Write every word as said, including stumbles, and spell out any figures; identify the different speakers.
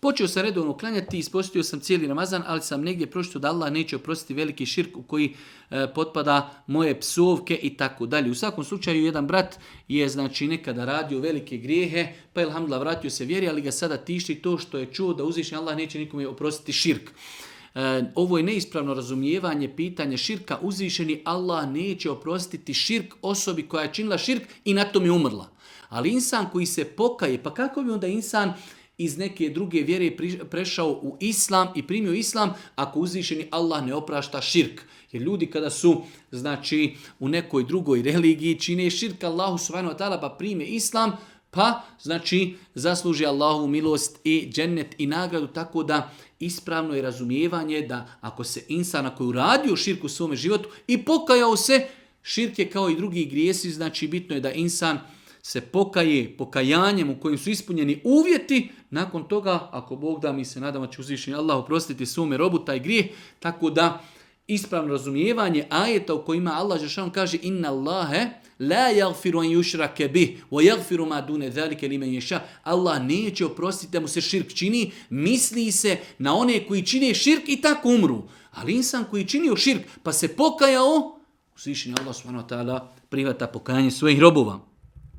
Speaker 1: Počeo sam redovno klanjati, ispostio sam cijeli Ramazan, ali sam negdje pročitao da Allah neće oprostiti veliki širk u koji e, potpada moje psovke i tako dalje. U svakom slučaju jedan brat je znači nekada radio velike grijehe, pa je alhamdulillah vratio se vjeri, ali ga sada tišti to što je čuo da uzvišeni Allah neće nikome oprostiti širk. E, ovo je neispravno razumijevanje pitanja širka. Uzvišeni Allah neće oprostiti širk osobi koja je činila širk i na tom je umrla. Ali insan koji se pokaje, pa kako bi onda insan iz neke druge vjere prešao u islam i primio islam ako uzvišeni Allah ne oprašta širk? Jer ljudi kada su znači u nekoj drugoj religiji čine širk Allahu subhanahu wa ta'ala pa prime islam, pa znači zasluži Allahovu milost i džennet i nagradu, tako da ispravno je razumijevanje da ako se insan koji uradio širk u svome životu i pokajao se, širk je kao i drugi grijesi, znači bitno je da insan se pokaje pokajanjem u kojim su ispunjeni uvjeti, nakon toga, ako Bog da, mi se nadamo će uzvišeni Allah oprostiti svome robu taj grijeh, tako da ispravno razumijevanje ajeta u kojima Allah dželle kaže inna Allahe la yaghfiru an yushraka bih wa yaghfiru ma dune zalika limen yasha. Allah neće oprostiti da mu se širk čini, misli se na one koji čine širk i tako umru. Ali insan koji činio širk pa se pokajao, uzvišeni Allah subhanahu wa ta'ala prihvata pokajanje svojih robova.